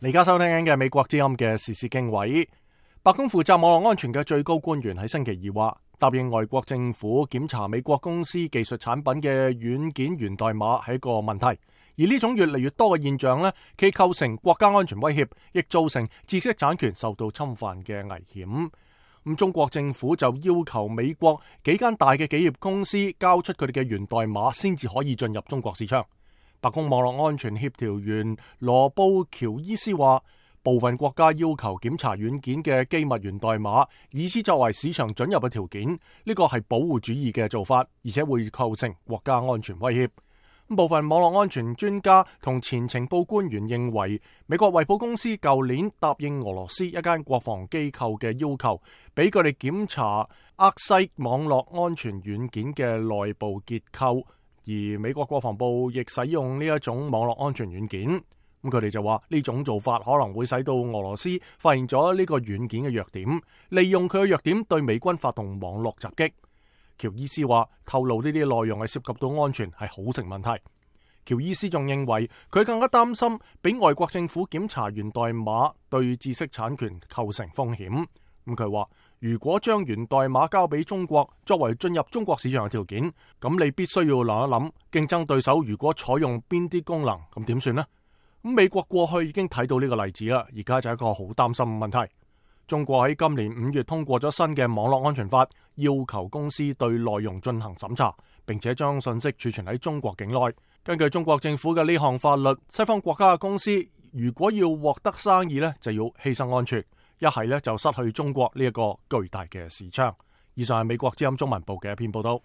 你而家收聽緊嘅美國之音嘅時事經緯。白宮負責網絡安全嘅最高官員喺星期二話，答應外國政府檢查美國公司技術產品嘅軟件源代碼係一個問題，而呢種越嚟越多嘅現象呢，既構成國家安全威脅，亦造成知識產權受到侵犯嘅危險。咁中國政府就要求美國幾間大嘅企業公司交出佢哋嘅源代碼，先至可以進入中國市場。白宮網絡安全協調員羅布喬伊斯話，部分國家要求檢查軟件嘅機密源代碼，以此作為市場准入嘅條件，呢個係保護主義嘅做法，而且會構成國家安全威脅。部分網絡安全專家同前情報官員認為，美國惠普公司舊年答應俄羅斯一間國防機構嘅要求，俾佢哋檢查厄西網絡安全軟件嘅內部結構，而美國國防部亦使用呢一種網絡安全軟件。咁佢哋就話呢種做法可能會使到俄羅斯發現咗呢個軟件嘅弱點，利用佢嘅弱點對美軍發動網絡襲擊。喬伊斯話，透露呢啲內容係涉及到安全係好成問題。喬伊斯仲認為佢更加擔心俾外國政府檢查源代碼對知識產權構成風險。咁佢話，如果將源代碼交俾中國作為進入中國市場嘅條件，咁你必須要諗一諗，競爭對手如果採用邊啲功能，咁點算呢？咁美國過去已經睇到呢個例子啦，而家就係一個好擔心嘅問題。中國喺今年5月通過咗新嘅網絡安全法，要求公司對內容進行審查，並且將信息儲存喺中國境內。根據中國政府嘅呢項法律，西方國家嘅公司如果要獲得生意呢，就要犧牲安全，一係呢就失去中國呢一個巨大嘅市場。以上係美國之音中文部嘅一篇報道。